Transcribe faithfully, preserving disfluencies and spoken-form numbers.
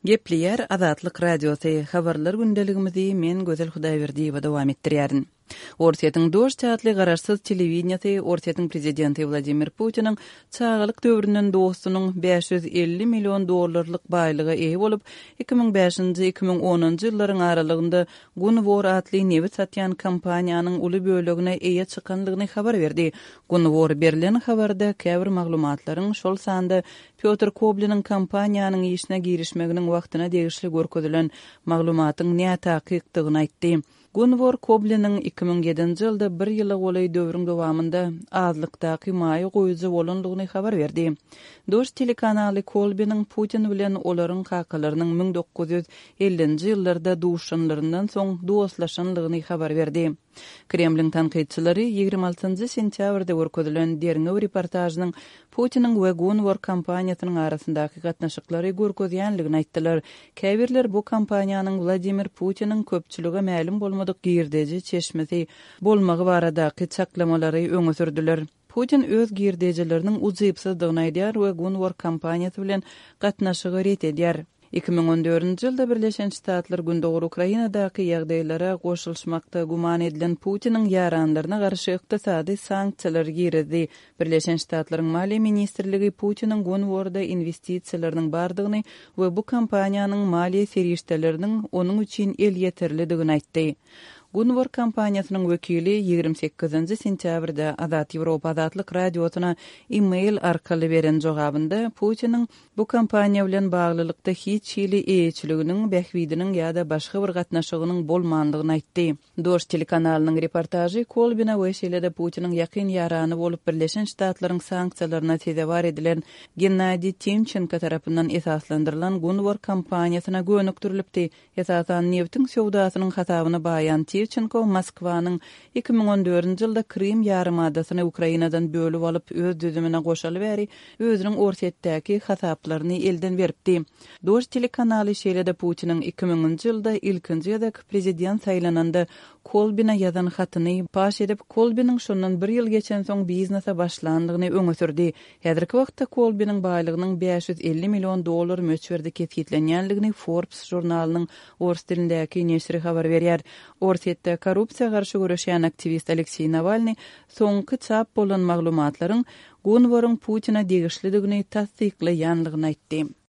Gepleýär Azatlyk Radiosy, Habarlar gündeligimizi men Gözel Hudaýberdiýewa dowam etdirýärin. Orsýetiň Dožd atly garaşsyz telewideniýesi Orsýetiň prezidenti Wladimir Putiniň çagalyk döwründen dostunyň bäş ýüz elli million dollarlyk baýlyga eýe bolup, iki müň bäşinji, iki müň onunjy ýyllaryň aralygynda Gunvor atly nebit satýan kompaniýanyň uly bölegine eýe çykanlygyny habar berdi. Gunvor berlen habarda käbir maglumatlaryň, şol sanda Pýotr Kobliniň kompaniýanyň işine girişmeginiň wagtyna degişli görkezilen maglumatyň nätakykdygyny aýtdy. Gunvor Kobliniň iki müň ýedinji ýylda bir ýyla golaý döwrüň dowamynda azlykdaky maýa goýujy bolandygyny habar berdi. Dožd telekanaly Kolbiniň Putin bilen olaryň kakalarynyň müň dokuz ýüz ellinji ýyllarda duşanlaryndan soň dostlaşanlygyny habar berdi. Kremliň tankytçylary ýigrimi altynjy sentýabrda görkezilen derňew reportažynyň Putiniň we Gunvor kompaniýasynyň arasyndaky gatnaşyklary görkezýänligini aýtdylar. Käbirler bu kompaniýanyň Wladimir Putiniň köpçülige mälim bolmadyk girdeji çeşmesi bolmagy baradaky çaklamalary öňe sürdüler. Putin öz girdejileriniň ujypsyzdygyny aýdýar we Gunvor kompaniýasy bilen gatnaşygy ret edýär. Iki müň on dördünji ýylda Birleşen Ştatlar Gündogar Ukrainadaky ýagdaýlara goşulyşmakda güman edilen Putiniň ýaranlaryna garşy ykdysady sanksiýalar girizdi. Birleşen Ştatlaryň Maliýe ministrligi Putiniň Gunvorda investisiýalarynyň bardygyny we bu kompaniýanyň maliýe serişdeleriniň onuň üçin elýeterlidigini aýtdy. Gunvor kompaniýasynyň wekili ýigrimi sekizinji sentýabrda Azat Ýewropa Azatlyk Radiosyna e-mail arkaly beren jogabynda Putiniň bu kompaniýa bilen baglylykda hiç hili eýeçiliginiň, bähbidiniň ýa-da başga bir gatnaşygynyň bolmandygyny aýtdy. Dožd telekanalynyň reportažy Kolbina we şeýle-de Putiniň ýakyn ýarany bolup Birleşen Ştatlaryň sanksiýalaryna sezewar edilen Gennadiý Timçenko tarapyndan esaslandyrylan Gunvor kompaniýasyna gönükdirilipdi. Esasan nebtiň söwdasynyň hasabyna baýan Timçenko Moskwanyň iki müň on dördünji ýylda Krym ýarymadasyny Ukrainadan bölüp alyp öz düzümine goşaly bäri özüniň Orsýetdäki hasaplaryny elden beripdi. Dožd telekanaly şeýle-de Putiniň iki müňünji ýylda ilkinji gezek prezident saýlananda Kolbina ýazan hatyny paş edip, Kolbiniň şondan bir ýyl geçensoň biznese başlandygyny öňe sürdi. Häzirki wagtda Kolbiniň baýlygynyň bäş ýüz elli million dollar möçberde kesgitlenýänligini Forbes žurnalynyň ors dilindäki neşiri habar berýär. Orsýetde korrupsiýa garşy göreşýän aktiwist Alekseý Nawalny soňky çap bolan maglumatlaryň Gunvoryň Putina degişlidigini tassyklaýanlygyny aýtdy.